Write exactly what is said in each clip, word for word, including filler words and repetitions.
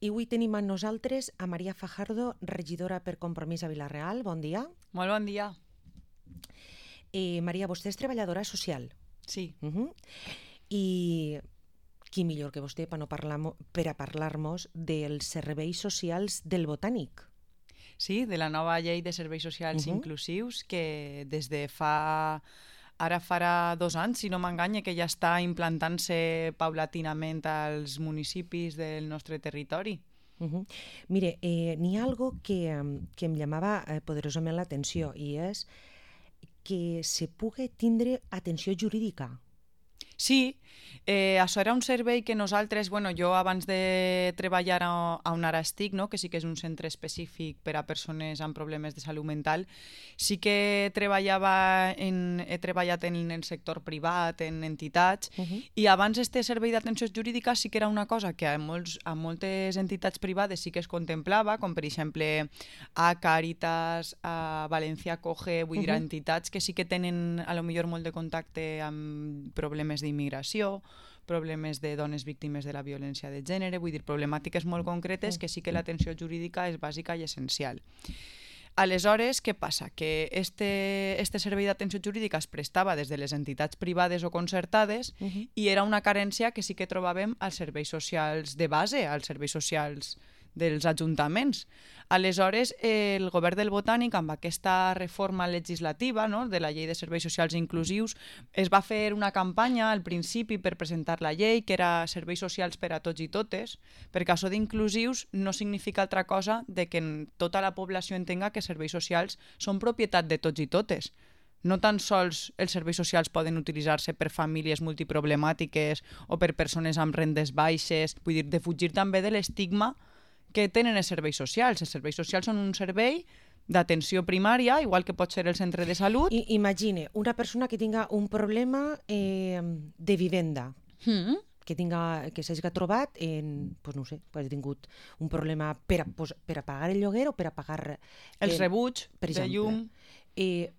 I avui tenim amb nosaltres a Maria Fajardo, regidora per Compromís a Vila-real. Bon dia. Molt bon dia. Eh, Maria, vostè és treballadora social. Sí. Uh -huh. I qui millor que vostè per, no parlar, per a parlar-nos dels serveis socials del Botànic. Sí, de la nova llei de serveis socials uh-huh. inclusius que des de fa... Ara farà dos anys, si no m'enganya, que ja està implantant-se paulatinament als municipis del nostre territori. Uh-huh. Mire, eh, n'hi ha algo que, que em llamava eh, poderosament l'atenció i és que se pugui tindre atenció jurídica. Sí, eh, això era un servei que nosaltres, bueno, jo abans de treballar a, a on ara estic, no, que sí que és un centre específic per a persones amb problemes de salut mental, sí que treballava en, he treballat en el sector privat, en entitats, uh-huh. i abans este servei d'atenció jurídica sí que era una cosa que a, molts, a moltes entitats privades sí que es contemplava, com per exemple a Càritas, a València Coge, vull uh-huh. dir, a entitats que sí que tenen a lo millor molt de contacte amb problemes d'immigració, problemes de dones víctimes de la violència de gènere, vull dir, problemàtiques molt concretes que sí que l'atenció jurídica és bàsica i essencial. Aleshores, què passa? Que este, este servei d'atenció jurídica es prestava des de les entitats privades o concertades uh-huh. i era una carència que sí que trobàvem als serveis socials de base, als serveis socials dels ajuntaments. Aleshores, el govern del Botànic, amb aquesta reforma legislativa, no, de la llei de serveis socials inclusius, es va fer una campanya al principi per presentar la llei, que era serveis socials per a tots i totes, perquè això d'inclusius no significa altra cosa de que tota la població entenga que serveis socials són propietat de tots i totes. No tan sols els serveis socials poden utilitzar-se per famílies multiproblemàtiques o per persones amb rendes baixes, vull dir, de fugir també de l'estigma que tenen els serveis socials. Els serveis socials són un servei d'atenció primària, igual que pot ser el centre de salut. I, imagine una persona que tinga un problema eh, de vivenda, mm. que tinga que s'hagi trobat en, pues no sé, pues ha tingut un problema per a, pues, per a pagar el lloguer o per a pagar... Eh, els rebuig de llum. Eh,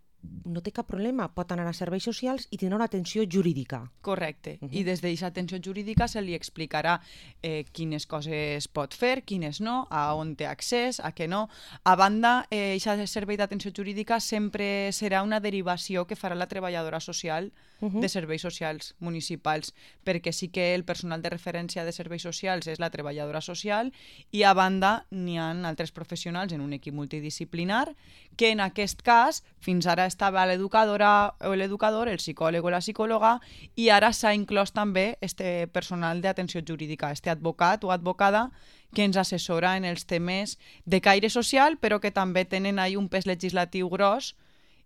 no té cap problema, pot anar a serveis socials i tindrà una atenció jurídica. Correcte, uh-huh. i des d'aquesta atenció jurídica se li explicarà eh, quines coses pot fer, quines no, a on té accés, a què no. A banda, aquest eh, servei d'atenció jurídica sempre serà una derivació que farà la treballadora social uh-huh. de serveis socials municipals, perquè sí que el personal de referència de serveis socials és la treballadora social i a banda n'hi ha altres professionals en un equip multidisciplinar que en aquest cas fins ara estava l'educadora o l'educador, el psicòleg o la psicòloga, i ara s'ha inclòs també este personal d'atenció jurídica, este advocat o advocada que ens assessora en els temes de caire social, però que també tenen ahí un pes legislatiu gros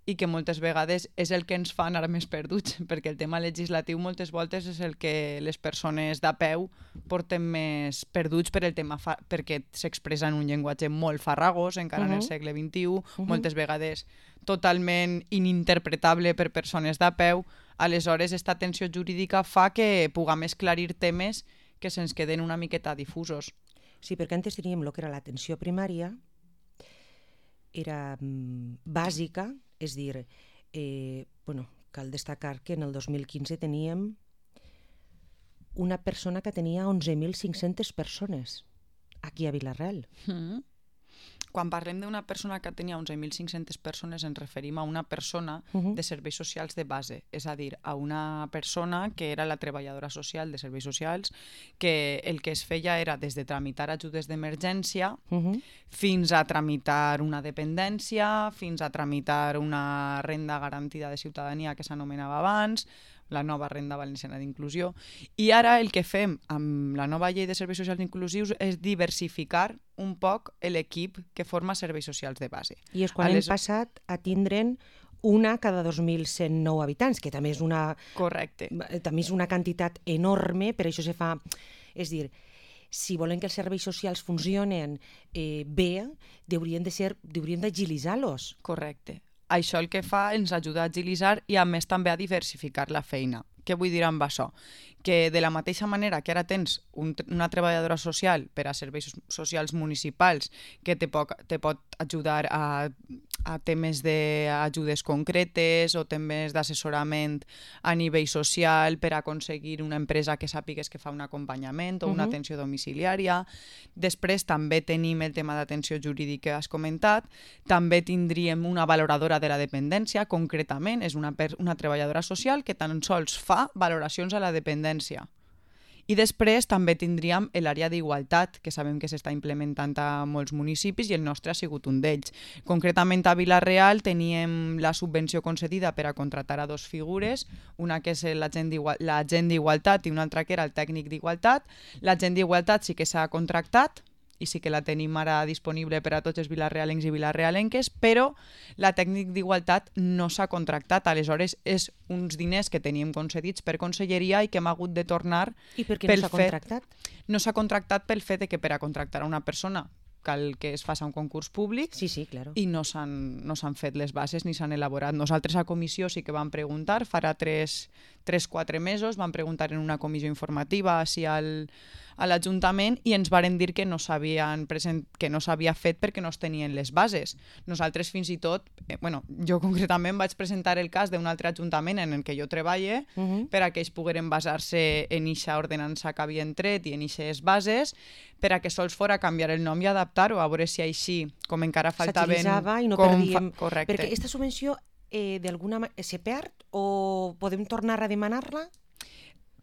i que moltes vegades és el que ens fa anar més perduts, perquè el tema legislatiu moltes voltes és el que les persones de peu porten més perduts per el tema fa- perquè s'expressa en un llenguatge molt farragós, encara uh-huh. en el segle vint-i-u, uh-huh. moltes vegades totalment ininterpretable per persones de peu. Aleshores, aquesta atenció jurídica fa que puguem esclarir temes que se'ns queden una miqueta difusos. Sí, perquè antes teníem el que era l'atenció primària, era mm, bàsica, és dir, eh, bueno, cal destacar que en el dos mil quinze teníem una persona que tenia onze mil cinc-centes persones aquí a Vila-real. Mm. Quan parlem d'una persona que tenia onze mil cinc-centes persones ens referim a una persona uh-huh. de serveis socials de base, és a dir, a una persona que era la treballadora social de serveis socials, que el que es feia era des de tramitar ajudes d'emergència uh-huh. fins a tramitar una dependència, fins a tramitar una renda garantida de ciutadania que s'anomenava abans, la nova renda valenciana d'inclusió. I ara el que fem amb la nova llei de serveis socials inclusius és diversificar un poc l'equip que forma serveis socials de base. I és quan les... hem passat a tindre'n una cada dos mil cent nou habitants, que també és una... Correcte. També és una quantitat enorme, per això se fa... És dir, si volen que els serveis socials funcionen eh, bé, haurien de ser, haurien d'agilitzar-los. Correcte. Això el que fa ens ajuda a agilitzar i a més també a diversificar la feina, Què vull dir amb això? Que de la mateixa manera que ara tens un, una treballadora social per a serveis socials municipals que te pot, te pot ajudar a, a temes d'ajudes concretes o temes d'assessorament a nivell social per aconseguir una empresa que sàpigues que fa un acompanyament o una uh-huh. atenció domiciliària. Després també tenim el tema d'atenció jurídica que has comentat. També tindríem una valoradora de la dependència, concretament és una, una treballadora social que tan sols fa valoracions a la dependència. I després també tindríem l'àrea d'igualtat, que sabem que s'està implementant a molts municipis i el nostre ha sigut un d'ells. Concretament a Vila-real teníem la subvenció concedida per a contractar a dos figures, una que és l'agent d'igualtat i una altra que era el tècnic d'igualtat. L'agent d'igualtat sí que s'ha contractat, i sí que la tenim ara disponible per a tots els vilarealencs i vilarealenques, però la tècnic d'igualtat no s'ha contractat. Aleshores, és uns diners que teníem concedits per conselleria i que hem hagut de tornar. I per què no s'ha contractat? No s'ha contractat pel fet de que per a contractar a una persona cal que es faci un concurs públic sí, sí, claro. i no s'han no s'han fet les bases ni s'han elaborat. Nosaltres a comissió sí que vam preguntar, farà tres o quatre mesos, vam preguntar en una comissió informativa així al, a l'Ajuntament i ens varen dir que no s'havien present, que no s'havia fet perquè no es tenien les bases. Nosaltres fins i tot, eh, bueno, jo concretament vaig presentar el cas d'un altre ajuntament en el que jo treballe uh-huh. per a que ells pogueren basar-se en eixa ordenança que havien tret i en eixes bases per a que sols fora canviar el nom i adaptar-ho, a veure si així, com encara faltaven... S'agilitzava i no perdíem... Fa... Correcte. Perquè aquesta subvenció eh, d'alguna manera se perd o podem tornar a demanar-la?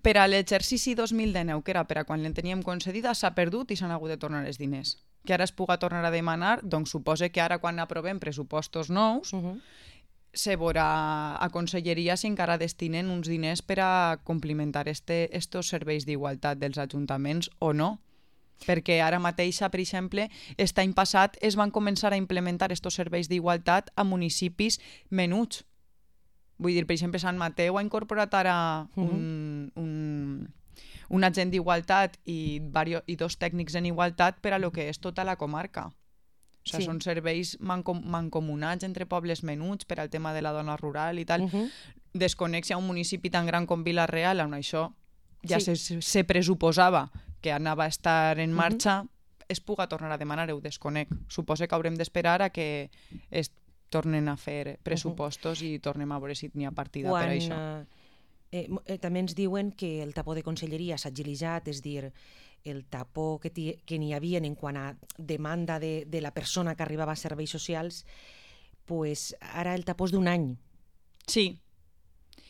Per a l'exercici dos mil dinou, que era per a quan l'en teníem concedida, s'ha perdut i s'han hagut de tornar els diners. Que ara es puga tornar a demanar, doncs suposa que ara quan aprovem pressupostos nous, uh-huh. se veurà a conselleria si encara destinen uns diners per a complimentar este, estos serveis d'igualtat dels ajuntaments o no. Perquè ara mateixa, per exemple, aquest any passat es van començar a implementar estos serveis d'igualtat a municipis menuts. Vull dir, per exemple, Sant Mateu ha incorporat ara un, un, un agent d'igualtat i, vario, i dos tècnics en igualtat per a lo que és tota la comarca. O sigui, sí. Són serveis mancom mancomunats entre pobles menuts per al tema de la dona rural i tal. Uh-huh. Desconec si a un municipi tan gran com Vila-real, on això ja sí. se, se pressuposava que anava a estar en marxa, uh-huh. es puga tornar a demanar, ho desconec. Suposo que haurem d'esperar a que es tornen a fer pressupostos uh-huh. i tornem a veure si n'hi ha partida Quan, per això. Eh, eh, també ens diuen que el tapó de conselleria s'ha agilitzat, és dir, el tapó que, que n'hi havia en quant a demanda de, de la persona que arribava a serveis socials, pues ara el tapó és d'un any. Sí.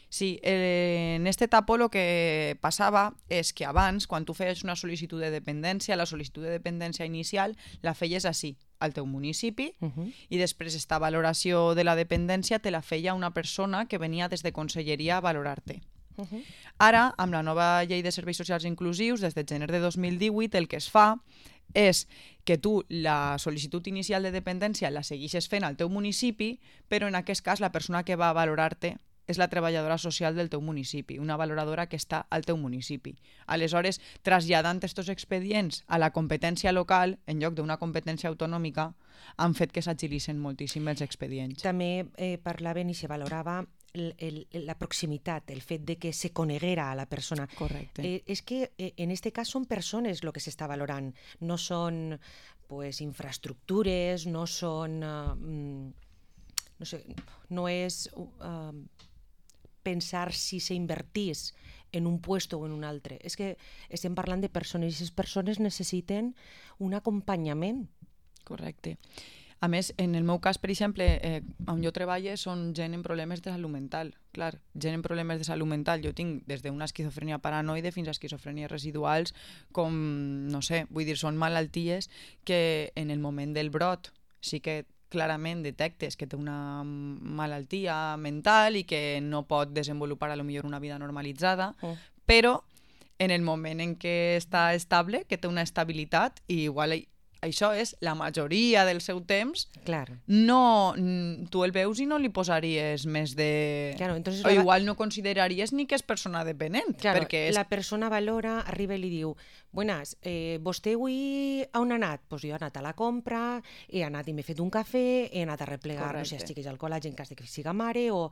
Sí, eh, en este tapó el que passava és que abans, quan tu feies una sol·licitud de dependència, la sol·licitud de dependència inicial la feies així, al teu municipi, uh-huh. i després esta valoració de la dependència te la feia una persona que venia des de conselleria a valorar-te. Uh-huh. Ara, amb la nova llei de serveis socials inclusius, des de gener de dos mil divuit, el que es fa és que tu la sol·licitud inicial de dependència la segueixes fent al teu municipi, però en aquest cas la persona que va a valorar-te és la treballadora social del teu municipi, una valoradora que està al teu municipi. Aleshores, traslladant aquests expedients a la competència local, en lloc d'una competència autonòmica, han fet que s'agilitzen moltíssim els expedients. També eh, parlaven i se valorava el, el, la proximitat, el fet de que se coneguera a la persona. Correcte. Eh, és que eh, en este cas són persones el que s'està valorant, no són pues, infraestructures, no són... Uh, no sé, no és... Uh, pensar si s'invertís en un puesto o en un altre. És que estem parlant de persones i aquestes persones necessiten un acompanyament. Correcte. A més, en el meu cas, per exemple, eh, on jo treballo són gent en problemes de salut mental. Clar, gent en problemes de salut mental. Jo tinc des d'una esquizofrènia paranoide fins a esquizofrènies residuals, com, no sé, vull dir, són malalties que en el moment del brot sí que clarament detectes que té una malaltia mental i que no pot desenvolupar a lo millor una vida normalitzada, oh. però en el moment en què està estable, que té una estabilitat, i igual això és la majoria del seu temps, claro. no, tu el veus i no li posaries més de... Claro, entonces o igual no consideraries ni que és persona dependent. Claro, perquè és... la persona valora, arriba i li diu, buenas, eh, vostè avui on ha anat? Pues jo he anat a la compra, he anat i m'he fet un cafè, he anat a replegar, Correcte. no sé, xiquets al col·legi en cas de que siga mare, o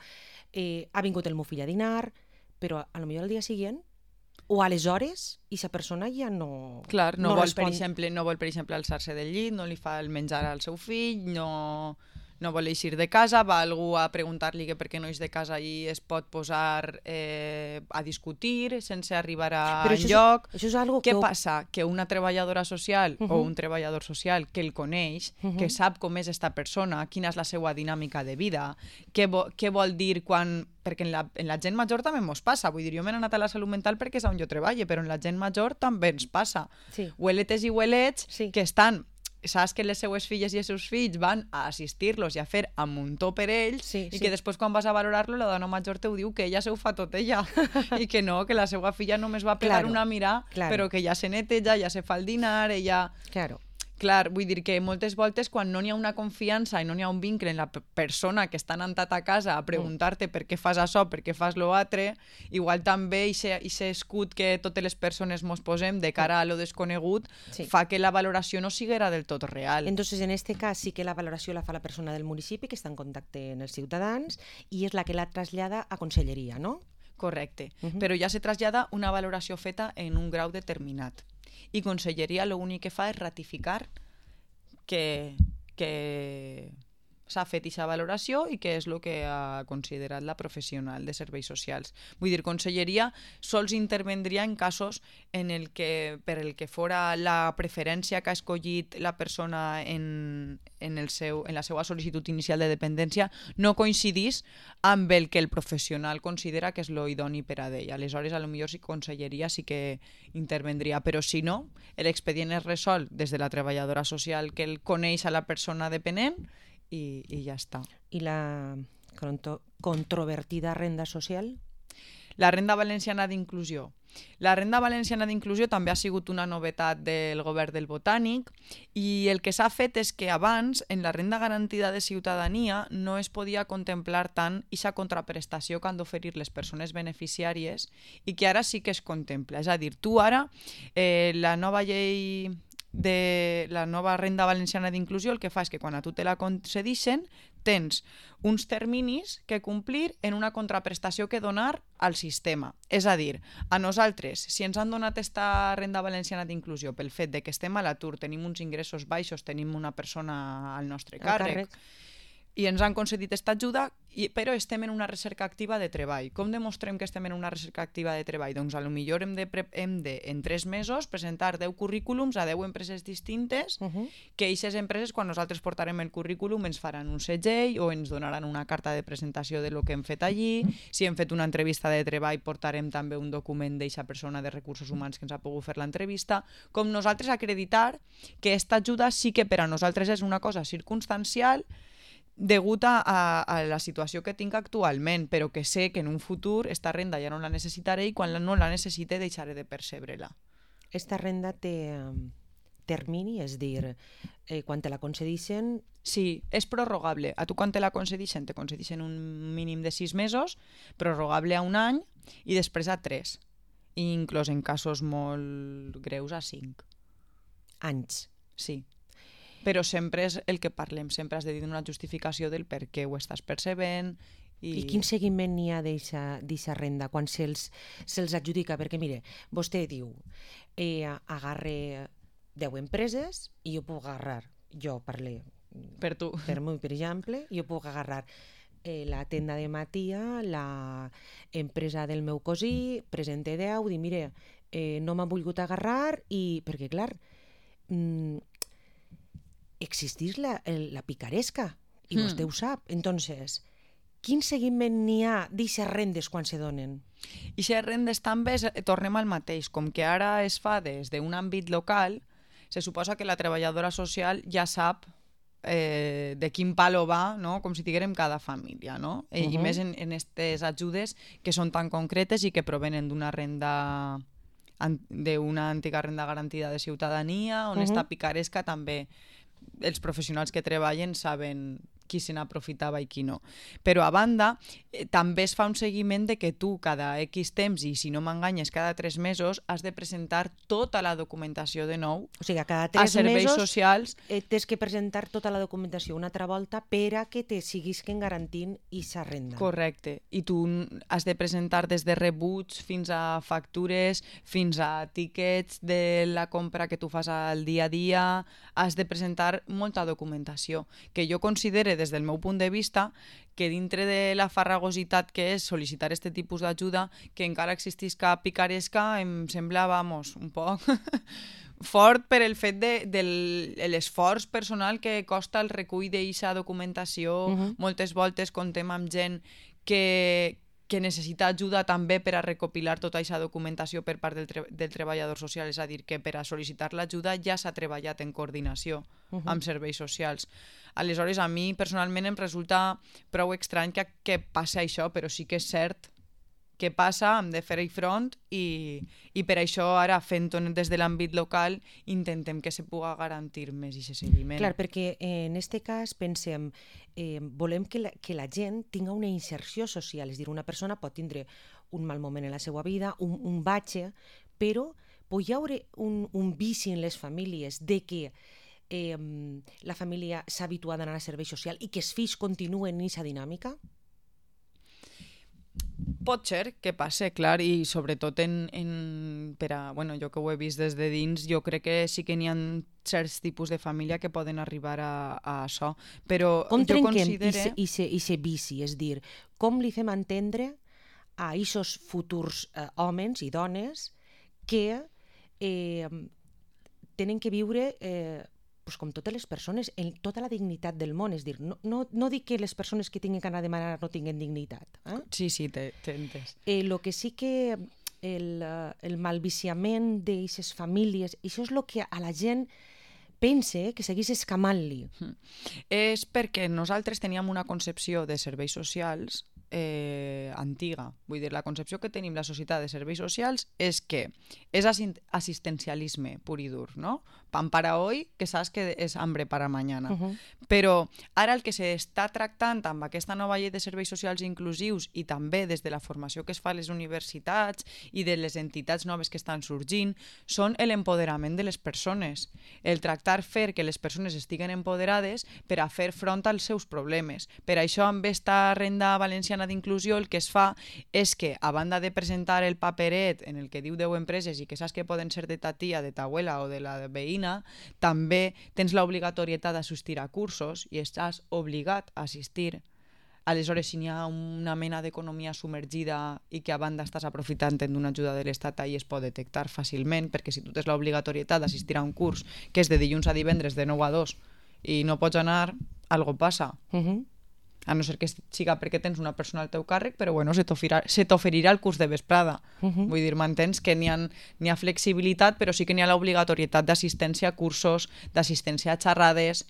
eh, ha vingut el meu fill a dinar, però a lo millor al dia següent o aleshores i la persona ja no Clar, no, no vol, respon. per exemple, no vol, per exemple, alçar-se del llit, no li fa el menjar al seu fill, no, no vol eixir de casa, va algú a preguntar-li que per què no és de casa i es pot posar eh, a discutir sense arribar a Però això és- enlloc. això és algo Què que- passa? Que una treballadora social Uh o -huh. un treballador social que el coneix, Uh -huh. que sap com és esta persona, quina és la seva dinàmica de vida, què, vo què vol dir quan... Perquè en la, en la gent major també ens passa. Vull dir, jo m'he anat a la salut mental perquè és on jo treballo, però en la gent major també ens passa. Sí. Hueletes i huelets Sí. que estan... Saps que les seues filles i els seus fills van a assistir-los i a fer a muntó per ells Sí, i sí. que després quan vas a valorar-lo la dona major te ho diu que ella se ho fa tot ella i que no, que la seva filla només va pegar Claro, una mirada claro. però que ja se neteja, ja se fa el dinar, ella... Claro. Clar, vull dir que moltes voltes quan no n'hi ha una confiança i no n'hi ha un vincle en la p- persona que està anant a ta casa a preguntar-te per què fas això, per què fas lo altre, igual també aquest escut que totes les persones mos posem de cara a lo desconegut Sí. fa que la valoració no siguera del tot real. Entonces, en este cas sí que la valoració la fa la persona del municipi que està en contacte amb els ciutadans i és la que la trasllada a conselleria, no? Correcte, Uh -huh. però ja se trasllada una valoració feta en un grau determinat. I Conselleria l'únic que fa és ratificar que, que s'ha fet aquesta valoració i que és el que ha considerat la professional de serveis socials. Vull dir, Conselleria sols intervendria en casos en el que, per el que fora la preferència que ha escollit la persona en, en, el seu, en la seva sol·licitud inicial de dependència no coincidís amb el que el professional considera que és lo idoni per a d'ell. Aleshores, a lo millor si Conselleria sí que intervendria, però si no, l'expedient es resol des de la treballadora social que el coneix a la persona dependent i, i ja està. I la contro- controvertida renda social? La renda valenciana d'inclusió. La renda valenciana d'inclusió també ha sigut una novetat del govern del Botànic i el que s'ha fet és que abans en la renda garantida de ciutadania no es podia contemplar tant aquesta contraprestació que han d'oferir les persones beneficiàries i que ara sí que es contempla. És a dir, tu ara, eh, la nova llei de la nova renda valenciana d'inclusió el que fa és que quan a tu te la concedixen tens uns terminis que complir en una contraprestació que donar al sistema. És a dir, a nosaltres, si ens han donat esta renda valenciana d'inclusió pel fet de que estem a l'atur, tenim uns ingressos baixos, tenim una persona al nostre càrrec, càrrec. i ens han concedit aquesta ajuda, i, però estem en una recerca activa de treball. Com demostrem que estem en una recerca activa de treball? Doncs a lo millor hem de, pre hem de en tres mesos, presentar deu currículums a deu empreses distintes, Uh -huh. que aquestes empreses, quan nosaltres portarem el currículum, ens faran un segell o ens donaran una carta de presentació de lo que hem fet allí. Si hem fet una entrevista de treball, portarem també un document d'eixa persona de recursos humans que ens ha pogut fer l'entrevista. Com nosaltres acreditar que aquesta ajuda sí que per a nosaltres és una cosa circumstancial degut a, a la situació que tinc actualment, però que sé que en un futur esta renda ja no la necessitaré i quan no la necessite deixaré de percebre-la. Esta renda té um, termini, és dir, eh, quan te la concedixen... Sí, és prorrogable. A tu quan te la concedixen? Te concedixen un mínim de sis mesos, prorrogable a un any i després a tres. I inclús en casos molt greus a cinc. Anys. Sí. Però sempre és el que parlem, sempre has de dir una justificació del per què ho estàs percebent. I, I quin seguiment n'hi ha d'eixa renda quan se'ls se adjudica? Perquè, mire, vostè diu, eh, agarre deu empreses i jo puc agarrar, jo parlé per tu. per mi, per exemple, jo puc agarrar eh, la tenda de Matia, la empresa del meu cosí, presente deu, dir, mire, eh, no m'ha volgut agarrar i, perquè, clar, mm, existís la, el, la picaresca i Hmm. vostè ho sap. Entonces, quin seguiment n'hi ha d'eixes rendes quan se donen? I si rendes també, és- tornem al mateix. Com que ara es fa des d'un àmbit local, se suposa que la treballadora social ja sap eh, de quin palo va, no? Com si diguérem cada família, no? Uh -huh. I més en, en aquestes ajudes que són tan concretes i que provenen d'una renda d'una antiga renda garantida de ciutadania, on uh -huh. esta picaresca també els professionals que treballen saben qui se n'aprofitava i qui no. Però a banda, eh, també es fa un seguiment de que tu cada X temps, i si no m'enganyes cada tres mesos, has de presentar tota la documentació de nou O sigui, cada a tres serveis mesos socials. eh, tens que presentar tota la documentació una altra volta per a que te siguisquen garantint aquesta renda. Correcte. I tu has de presentar des de rebuts fins a factures, fins a tíquets de la compra que tu fas al dia a dia. Has de presentar molta documentació, que jo considere, des del meu punt de vista, que dintre de la farragositat que és sol·licitar aquest tipus d'ajuda, que encara existisca picaresca, em sembla, vamos, un poc fort per el fet de, de l'esforç personal que costa el recull d'aquesta documentació. Uh-huh. Moltes voltes contem amb gent que, que necessita ajuda també per a recopilar tota aquesta documentació per part del, tre del treballador social, és a dir, que per a sol·licitar l'ajuda ja s'ha treballat en coordinació uh-huh. amb serveis socials. Aleshores, a mi personalment em resulta prou estrany que, que passi això, però sí que és cert que passa, hem de fer-hi front i, i per això ara, fent-ho des de l'àmbit local, intentem que se pugui garantir més aquest seguiment. Clar, perquè eh, en aquest cas pensem, eh, volem que la, que la gent tinga una inserció social, és a dir, una persona pot tindre un mal moment en la seva vida, un, un batxe, però pot hi haure un, un vici en les famílies de que eh, la família s'ha habituat a anar a servei social i que els fills continuen en aquesta dinàmica? Pot ser que passe, clar, i sobretot en, en, per a, bueno, jo que ho he vist des de dins, jo crec que sí que n'hi ha certs tipus de família que poden arribar a, a això, però com jo trenquem considere... aquest vici? És dir, com li fem entendre a aquests futurs eh, homes i dones que eh, tenen que viure eh, pues com totes les persones, en tota la dignitat del món, és dir, no, no, no dic que les persones que tinguin que anar a demanar no tinguin dignitat. Eh? Sí, sí, t'he entès. Eh, lo que sí que el, el malviciament d'aquestes famílies, això és el que a la gent pense que seguís escamant-li. Mm. És perquè nosaltres teníem una concepció de serveis socials eh, antiga. Vull dir, la concepció que tenim la societat de serveis socials és que és assistencialisme pur i dur, no? Pan para hoy, que saps que és hambre para mañana. Uh-huh. Però ara el que s'està tractant amb aquesta nova llei de serveis socials inclusius i també des de la formació que es fa a les universitats i de les entitats noves que estan sorgint són l'empoderament de les persones. El tractar fer que les persones estiguen empoderades per a fer front als seus problemes. Per això amb esta renda valenciana d'inclusió el que es fa és que, a banda de presentar el paperet en el que diu deu empreses i que saps que poden ser de ta tia, de ta abuela o de la veïna, també tens l'obligatorietat d'assistir a cursos i estàs obligat a assistir. Aleshores, si n'hi ha una mena d'economia submergida i que a banda estàs aprofitant d'una ajuda de l'Estat, ahí es pot detectar fàcilment, perquè si tu tens l'obligatorietat d'assistir a un curs que és de dilluns a divendres de nou a dos i no pots anar, algo passa. Uh-huh. A no ser que siga perquè tens una persona al teu càrrec, però bueno, se t'oferirà el curs de vesprada. Uh-huh. Vull dir, m'entens que n'hi ha, n'hi ha flexibilitat, però sí que n'hi ha l'obligatorietat d'assistència a cursos, d'assistència a xerrades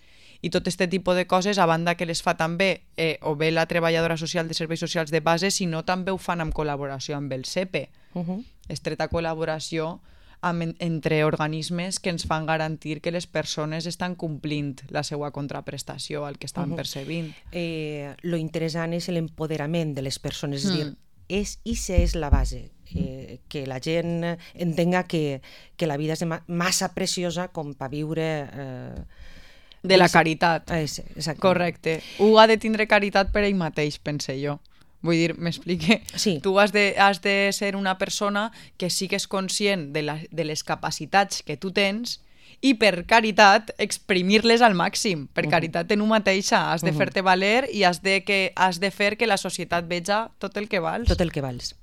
i tot aquest tipus de coses, a banda que les fa també eh, o bé la treballadora social de serveis socials de base, sinó també ho fan amb col·laboració amb el S E P E. Uh-huh. Estreta col·laboració amb, entre organismes que ens fan garantir que les persones estan complint la seva contraprestació al que estan uh-huh. percebint. Eh, lo interessant és l'empoderament de les persones, és mm. dir, és, ixa és la base, eh, que la gent entenga que, que la vida és massa preciosa com per viure... Eh, de la caritat. Eh, correcte. Un ha de tindre caritat per ell mateix, pense jo. Vull dir, m'explique? Sí. Tu has de, has de ser una persona que sigues conscient de, la, de les capacitats que tu tens i per caritat exprimir-les al màxim. Per caritat en tu mateixa. Has de uh-huh. fer-te valer i has de, que, has de fer que la societat veja tot el que vals. Tot el que vals.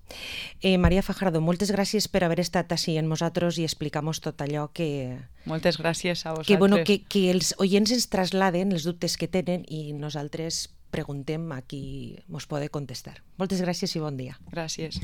Eh, Maria Fajardo, moltes gràcies per haver estat així amb nosaltres i explicar-nos tot allò que... Moltes gràcies a vosaltres. Que, bueno, que, que els oients ens trasladen els dubtes que tenen i nosaltres preguntem a qui mos pode contestar. Moltes gràcies i bon dia. Gràcies.